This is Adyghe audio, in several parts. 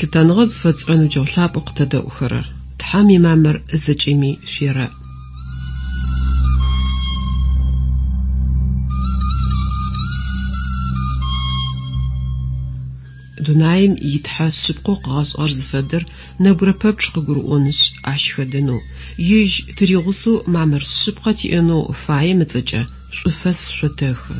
Лъытэныгъэ зыфэтшӏырэ ныбджэгъу лъапӏэу къытэдэӏухэрэр! Тхьэм имамыр зэкӏэми шъуерэӏ. Дунаим и Тхьэ шъыпкъэу къыгъэшӏыгъэр зыфэдэр нэбгырэ пэпчъ къыгурыӏонышъ, ащ хэдэнэу, Ежь тыригъусэу мамыр шъыпкъэ тиӏэнэу фаем ыцӏэкӏэ шӏуфэс шъотэхы.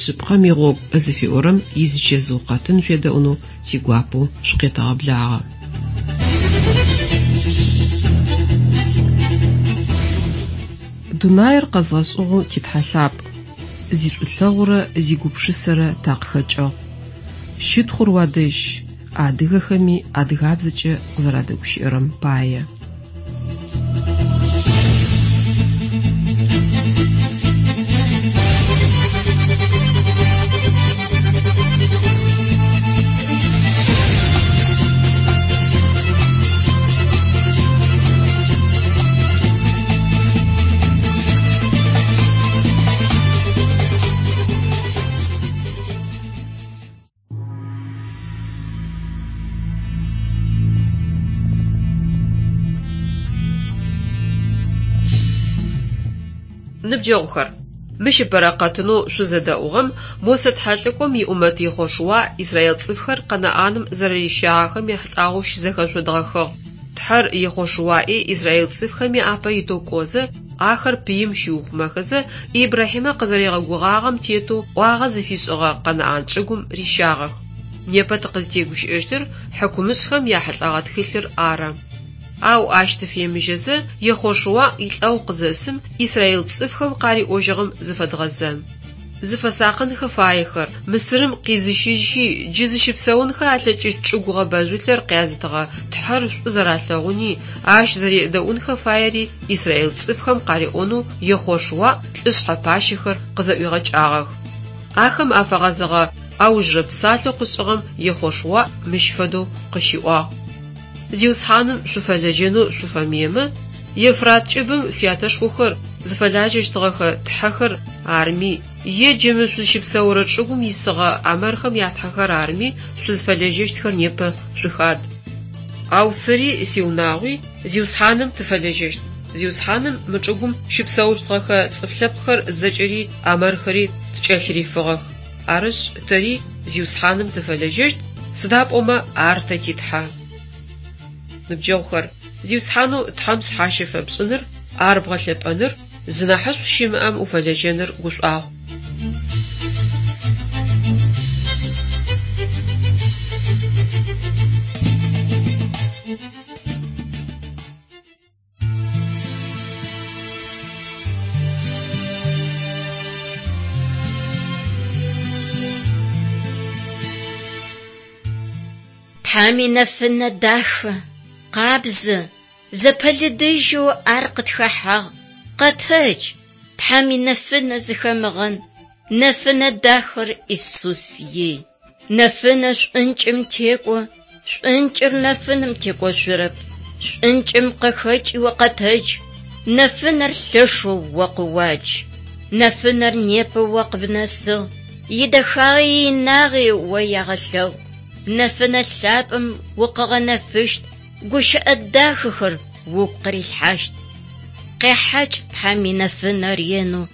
Шъыпкъэм игъогу зыфиӏорэм изычэзыу къэтын шъуедэӏунэу тигуапэу шъукъетэгъэблагъэ. Дунаир къэзгъэшӏыгъэу ти Тхьэ лъапӏ, зишӏулъэгъурэ зигупшысэрэ такъыхэкӏыгъ. Щытхъур уадэжь, адыгэхэми адыгабзэкӏэ къызэрадэгущыӏэрэм пае. Ныбджэгъухэр, мыщ ыпэрэ къэтынэу шъузэдэӏугъэм Мосэ тхьэлӏыкӏом иӏумэт Ехъошуа израил цӏыфхэр Къэнаӏаным зэрэрищагъэхэм ехьылӏагъэу щызэхэшъодгъэхыгъ. Тхьэр Ехъошуаи израил цӏыфхэми апэ итэу кӏозэ, ахэр пыим щиухъумэхэзэ, Ибрахьимэ къызэригъэгугъагъэм тетэу ӏуагъэ зыфишӏыгъэ Къэнаӏан чӏыгум рищагъэх. Непэ тыкъызтегущыӏэщтыр хьыкумышӏхэм яхьылӏэгъэ тхылъыр ары. Ау ащ тыфемыжьэзэ, Ехъошуа илӏэгъу къызэсым израил цӏыфхэм къариӏожьыгъэм зыфэдгъэзэн. Зыфэсакъынхэ фаехэр, Мысырым къизыщыжьхи, джы зыщыпсэунхэ алъэкӏыщт чӏыгу гъэбэжъулъэр къязытыгъэ Тхьэр шӏу зэралъэгъуни, ащ зэредэӏунхэ фаери израил цӏыфхэм къариӏонэу Ехъошуа лӏышъхьэ пащэхэр къызэӏуигъэкӏагъэх. Ахэм афэгъэзэгъэ аужрэ псалъэу къышӏыгъэм Ехъошуа мыщ фэдэу къыщиӏуагъ, Зиусхьаным шъуфэлэжьэнэу шъуфэмыемэ, Евфрат кӏыбым шъуятэшхохэр зыфэлажьэщтыгъэхэ тхьэхэр арми, е джы мы шъузщыпсэурэ чӏыгум исыгъэ амэрхэм ятхьэхэр арми шъузфэлэжьэщтхэр непэ шъухад. Ау сэри сиунагъуи Зиусхьаным тыфэлэжьэщт. Зиусхьаным мы чӏыгум щыпсэущтыгъэхэ цӏыф лъэпкъхэр зэкӏэри амэрхэри ткӏэлъырифыгъэх. Арышъ, тэри Зиусхьаным тыфэлэжьэщт, сыда пӏомэ Ар тэ ти Тхьэ. Ныбджэгъухэр, Зиусхьанэу Тхьэм шъхьащэ фэпшӏыныр, Ар бгъэлъэпӏэныр, зынахьышӏу щымыӏэм уфэлэжьэныр гушӏуагъу. Тхьэм инэфынэ дахэ, къабзэ, зэпэлыдыжьэу ар къытхэхьагъ. Къэтэдж, Тхьэм инэфынэ зыхэмыгъэн, нэфынэ дахэр Исус ий. Нэфынэ шӏункӏым текӏо, шӏункӏыр нэфыным текӏошъурэп. Шӏункӏым къыхэкӏи о къэтэдж, нэфынэр лъэшэу о къыуадж. Нэфынэр непэ о къыбнэсыгъ, идэхагъи иинагъи о ягъэлъэгъу. Нэфынэ лъапӏэм укъыгъэнэфыщт, гущыӏэ дахэхэр угу къырилъхьащт. Къехьакӏ Тхьэм инэфынэ ренэу,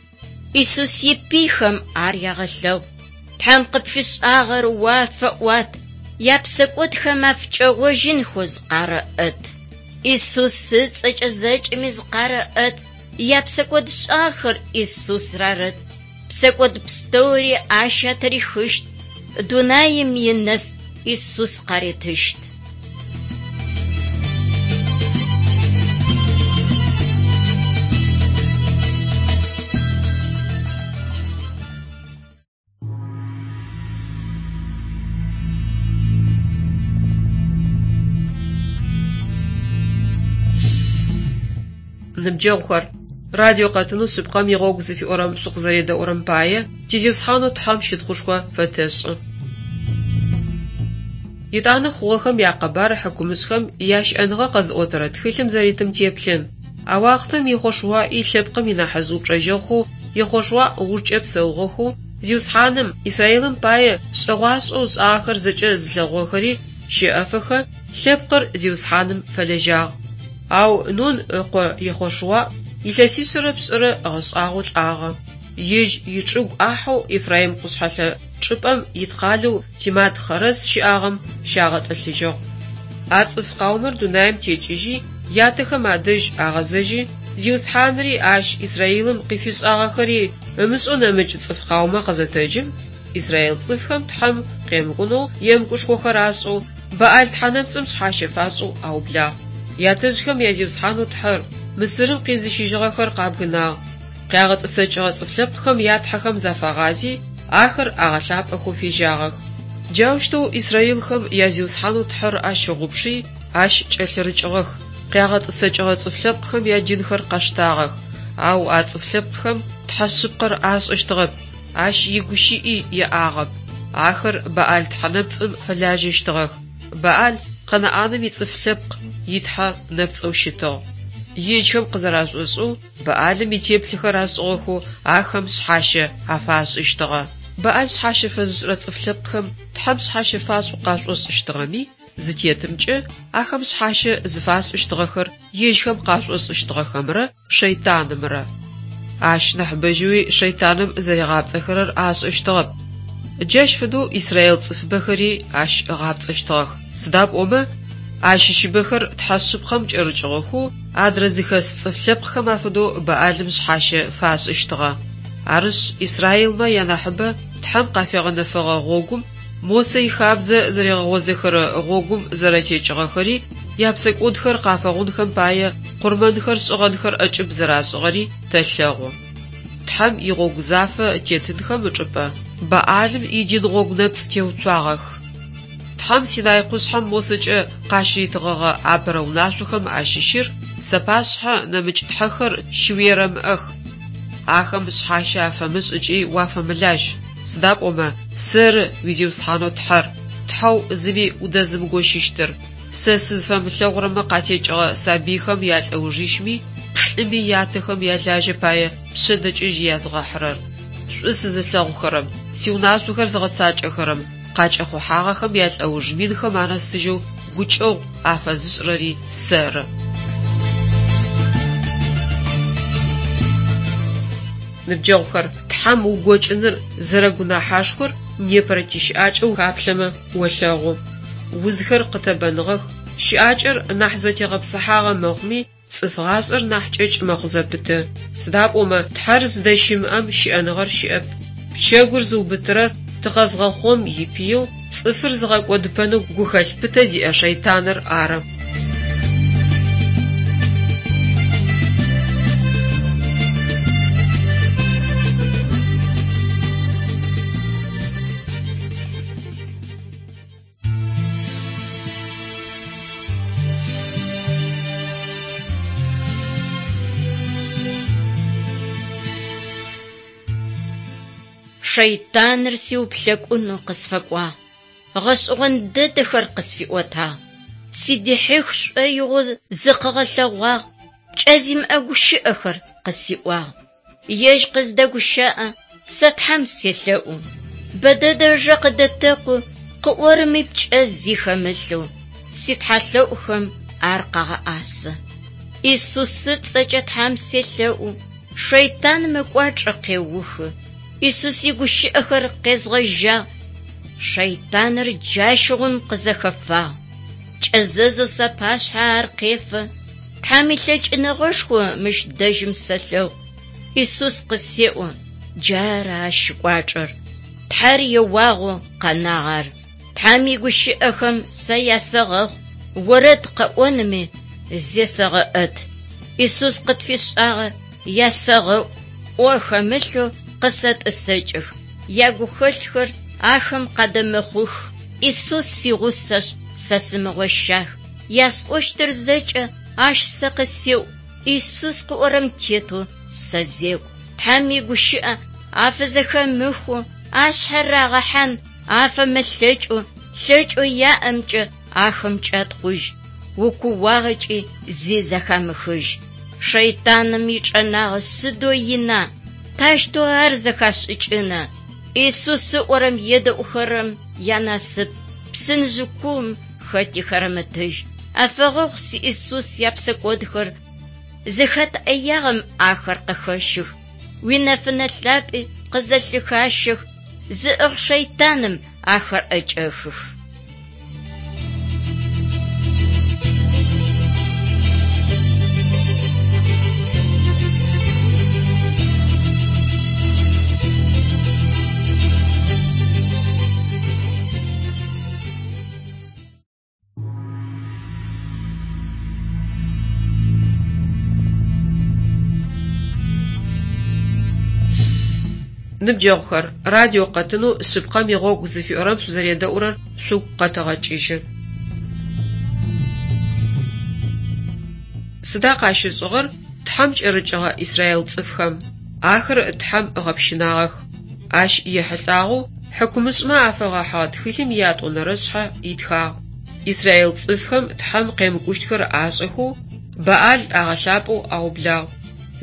Исус ипыйхэм ар ягъэлъэгъу. Тхьэм къыпфишӏагъэр уафэӏуат, япсэкӏодхэм афыкӏэгъожьынхэу зыкъарэӏэт. Исус ыцӏэкӏэ зэкӏэми зыкъарэӏэт, япсэкӏодшӏагъэхэр Исус рарэт. Псэкӏод пстэури ащ атырихыщт, дунаим инэф Исус къаритыщт. Ныбджэгъухэр, радио къэтынэу Шъыпкъэм игъогу зыфиӏорэм шъукъызэредэӏурэм пае ти Зиусхьанэу Тхьэм щытхъушхо фэтэшӏы. Етӏанэ хъугъэхэм якъэбар хьыкумышӏхэм ящыӏэныгъэ къэзыӏотэрэ тхылъым зэритым теплъын. А уахътэм Ехъошуаи лъэпкъым инахьыжъ упчӏэжьэгъухэу Ехъошуа ыужкӏэ псэугъэхэу, Зиусхьаным Израилым пае шӏэгъуашӏэу ышӏагъэхэр зэкӏэ зылъэгъугъэхэри щэӏэфэхэ, лъэпкъыр Зиусхьаным фэлэжьагъ. Ау Нун ыкъо Ехъошуа илъэсишъэрэ пшӏырэ ыгъэшӏагъэу лӏагъэ. Ежь ичӏыгу ӏахьэу Ефраим къушъхьэлъэ чӏыпӏэм ит къалэу Тимат-Хъэрэс щыӏагъэм щагъэтӏылъыжьыгъ. А цӏыф къаумэр дунаим текӏыжьи, ятэхэм адэжь агъэзэжьи, Зиусхьанри ащ Израилым къыфишӏагъэхэри ымышӏэу нэмыкӏ цӏыф къаумэ къызэтэджым, израил цӏыфхэм Тхьэм къемыкӏунэу емыкӏушхохэр ашӏэу, Баӏал тхьэнэпцӏым шъхьащэ фашӏэу аублагъ. Ятэжъхэм я Зиусхьанэу Тхьэр, Мысырым къизыщыжьыгъэхэр къабгынагъ. Къягъэтӏысэкӏыгъэ цӏыф лъэпкъхэм ятхьэхэм зафагъази, ахэр агъэлъапӏэхэу фежьагъэх. Джаущтэу израилхэм я Зиусхьанэу Тхьэр ащыгъупши, ащ кӏэлъырыкӏыгъэх, къягъэтӏысэкӏыгъэ цӏыф лъэпкъхэм ядинхэр къаштагъэх. Ау а цӏыф лъэпкъхэм Тхьэ шъыпкъэр ашӏэщтыгъэп, Ащ игущыӏи яӏагъэп. Ахэр Баӏал тхьэнэпцӏым фэлажьэщтыгъэх. Баӏал Къэнаӏаным ицӏыф лъэпкъ итхьэ нэпцӏэу щытыгъ. Ежьхэм къызэрашӏошӏэу Баӏалым итеплъэхэр ашӏыгъэхэу ахэм шъхьащэ афашӏыщтыгъэ. Баӏал шъхьащэ фэзышӏырэ цӏыф лъэпкъхэм Тхьэм шъхьащэ фашӏэу къашӏошӏыщтыгъэми, зытетымкӏэ, ахэм шъхьащэ зыфашӏыщтыгъэхэр ежьхэм къашӏошӏыщтыгъэхэмрэ шэйтанымрэ. Ащ нахьыбэжьэуи шэйтаным зэригъапцӏэхэрэр ашӏэщтыгъэп. Джащ фэдэу израил цӏыфыбэхэри ащ ыгъапцӏэщтыгъэх, сыда пӏомэ, ащыщыбэхэр Тхьэ шъыпкъэм кӏэрыкӏыгъэхэу, адрэ зыхэс цӏыф лъэпкъхэм афэдэу Баӏалым шъхьащэ фашӏыщтыгъэ. Арышъ, израилмэ янахьыбэ Тхьэм къафигъэнэфэгъэ гъогум, Мосэ ихабзэ зэригъэгъозэхэрэ гъогум зэрэтекӏыгъэхэри, япсэкӏодхэр къафэгъунхэм пае къурмэнхэр шӏыгъэнхэр ӏэкӏыб зэрашӏыгъэри тэлъэгъу. Тхьэм игъогу зафэ тетынхэм ычӏыпӏэ Баӏалым идин гъогу нэпцӏ теуцуагъэх. Тхьэм Синай къушъхьэм Мосэкӏэ къащыритыгъэгъэ апэрэ унашъохэм ащыщыр, Сапашъхьэ нэмыкӏ тхьэхэр щыуерэмыӏэх. Ахэм шъхьащэ афэмышӏ ыкӏи уафэмылажь, сыда пӏомэ Сэры уи Зиусхьанэу Тхьэр, Тхьэу зыми удэзымыгощыщтыр. Сэ сызфэмылъэгъурэмэ къатекӏыгъэ сабыйхэм ялӏэужищми, плӏыми ятэхэм ялажьэ пае пшъэдэкӏыжь язгъэхьырэр. Шӏу сызылъэгъухэрэм, сиунашъохэр зыгъэцакӏэхэрэм къакӏэхъухьагъэхэм ялӏэуж минхэм анэсыжьэу гукӏэгъу афэзышӏырэри сэры. Ныбджэгъухэр, Тхьэм угокӏыныр зэрэгунахьашхор непэрэ тищыӏакӏэ ухаплъэмэ олъэгъу. Узхэр къытэбэныгъэх, щыӏакӏэр нахь зэтегъэпсыхьагъэ мэхъуми, цӏыф гъашӏэр нахь кӏэкӏ мэхъу зэпыты. Сыда пӏомэ Тхьэр зыдэщымыӏэм щыӏэныгъэр щыӏэп. Пчэгур зыубытырэр тыкъэзгъэхъом ипыеу, цӏыфыр зыгъэкӏодыпэнэу гухэлъ пытэ зиӏэ шэйтаныр ары. Шэйтаныр сиуплъэкӏунэу къысфэкӏуагъ, гъэшӏэгъон дэдэхэр къысфиӏотагъ. Сыдихьых шӏоигъоу зыкъыгъэлъэгъуагъ, пкӏэ зимыӏэ гущыӏэхэр къысиӏуагъ. Ежь къыздэгущыӏэ, сэ Тхьэм селъэӏу. Бэдэдэ ыжэ къыдэтэкъу, къыӏорэми пкӏэ зи хэмылъэу, ситхьэлъэӏухэм ар къагъэӏасэ. Исус ыцӏэкӏэ Тхьэм селъэӏу, шэйтаным ыкӏуачӏэ къеухы. Исус игущыӏэхэр къезгъэжьагъ, шэйтаныр джащыгъум къызэхэфагъ. Кӏэзэзэу сапашъхьэ ар къефэ, Тхьэм илъэкӏыныгъэшхо мыщ дэжьым сэлъэгъу. Исус къысеӏо, джары ащ ыкӏуачӏэр. Тхьэр еуагъэу къэнагъ ар. Тхьэм игущыӏэхэм сэ ясэгъэхъу, орэд къэӏонми зесэгъэӏэт. Исус къытфишӏагъэр ясэгъэӏу, ӏо хэмылъэу къысэтӏысэкӏых, ягухэлъхэр ахэм къадэмыхъух. Исус сигъусэшъ, сэ сымыгъощах, ясӏощтыр зэкӏэ ащ сэ къысеӏу, Исус къыӏорэм тетэу сэзекӏу. Тхьэм игущыӏэ афызэхэмыхэу, ашъхьэ рагъэхьан афэмылъэкӏэу, лъэкӏэу яӏэмкӏэ ахэм кӏатхъужь, укууагъэкӏи зи зэхамыхыжь. Шэйтаным ичӏэнагъэ сыдэу ина, таущтэу ар зэхашӏыкӏына? Исус ыӏорэм едэӏухэрэм янасып, псынжъы куум хэти хэрэмытыжь. Афэгъэгъу си Исус япсэкӏодхэр, зыхэт ӏэягъэм ахэр къыхэщых. Уинэфынэ лъапӏи къызэлъыхащэх, зыӏыгъ шэйтаным ахэр ӏэкӏэхых. Ныбджэгъухэр, радио къэтынэу Шъыпкъэм игъогу зыфиӏорэм шъузэредэӏурэр шъугу къэтэгъэкӏыжьы. Сыда къащышӏыгъэр Тхьэм кӏэрыкӏыгъэ Израил цӏыфхэм? Ахэр Тхьэм ыгъэпщынагъэх. Ащ ехьылӏагъэу хьыкумышӏмэ афэгъэхьыгъэ тхылъым иятӏонэрэ шъхьэ итхагъ. Израил цӏыфхэм Тхьэм къемыкӏущтхэр ашӏэхэу, Баал агъэлъапӏэу аублагъ.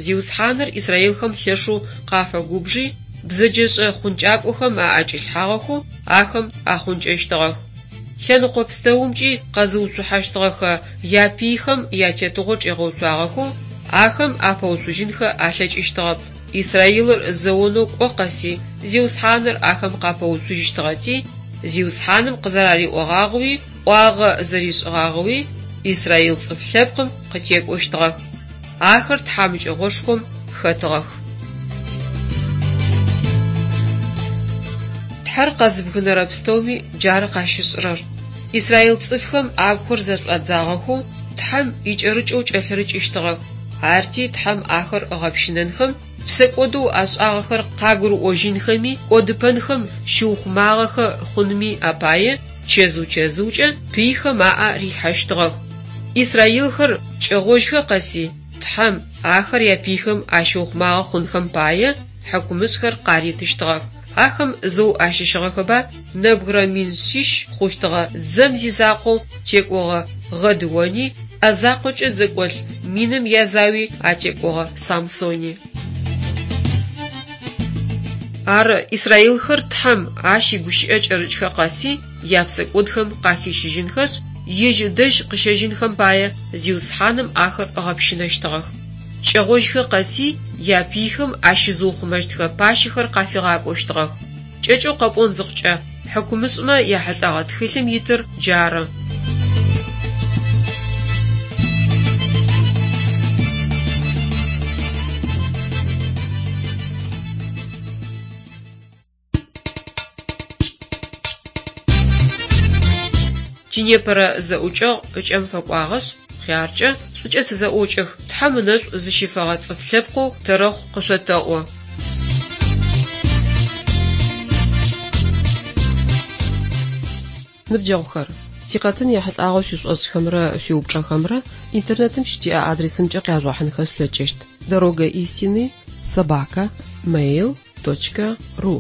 Зиусхьаныр израилхэм лъэшэу къафэгубжи, бзэджэшӏэ хъункӏакӏохэм аӏэкӏилъхьагъэхэу ахэм ахъункӏэщтыгъэх. Лъэныкъо пстэумкӏи къэзыуцухьэщтыгъэхэ япыйхэм ятетыгъо чӏигъэуцуагъэхэу, ахэм апэуцужьынхэ алъэкӏыщтыгъэп. Израилыр зэонэу кӏо къэси Зиусхьаныр ахэм къапэуцужьыщтыгъэти, Зиусхьаным къызэрариӏогъагъэуи ӏуагъэ зэришӏыгъагъэуи израил цӏыф лъэпкъым къытекӏощтыгъэх. Ахэр тхьамыкӏэгъошхом хэтыгъэх. Тхьэр къэзыбгынэрэ пстэуми джары къащышӏырэр. Израил цӏыфхэм агухэр зэшӏуадзагъэхэу Тхьэм икӏэрыкӏэу кӏэлъырыкӏыщтыгъэх. Арти Тхьэм ахэр ыгъэпщынэнхэм, псэкӏодэу ашӏагъэхэр къагурыӏожьынхэми, кӏодыпэнхэм щыухъумагъэхэ хъунми апае чэзыу-чэзыукӏэ пыйхэм аӏэ рилъхьэщтыгъэх. Израилхэр кӏэгъожьхэ къэси, Тхьэм ахэр япыйхэм ащыухъумагъэ хъунхэм пае хьыкумышӏхэр къаритыщтыгъэх. Ахэм зэу ащыщыгъэхэба нэбгырэ 700 хъущтыгъэ дзэм зизакъоу текӏогъэ Гъэдыони, ӏэ закъокӏэ дзэкӏолӏ миным язауи атекӏогъэ Самсони. Ары, израилхэр Тхьэм, Ащ игущыӏэ кӏэрыкӏхэ къэси, япсэкӏодхэм къахищыжьынхэшъ, Ежь ыдэжь къыщэжьынхэм пае Зиусхьаным ахэр ыгъэпщынэщтыгъэх. Кӏэгъожьхэ къэси, япыйхэм ащызыухъумэщтхэ пащэхэр къафигъакӏощтыгъэх. Кӏэкӏэу къэпӏон зыхъукӏэ, хьыкумышӏмэ яхьылӏэгъэ тхылъым итыр джары. Тинепэрэ зэӏукӏэгъу ыкӏэм фэкӏуагъэшъ, хъяркӏэ, шӏукӏэ тызэӏокӏэх, Тхьэм ынэшӏу зыщифэгъэ цӏыф лъэпкъэу тэрэхъу къышъотэӏо. Ныбджэгъухэр, тикъэтын ехьылӏагъэу шъуишӏошӏхэмрэ шъуиупчӏэхэмрэ интернетым щытиӏэ адресымкӏэ къяжъугъэхьынхэ шъулъэкӏыщт: дорога истины собака mail точка ru.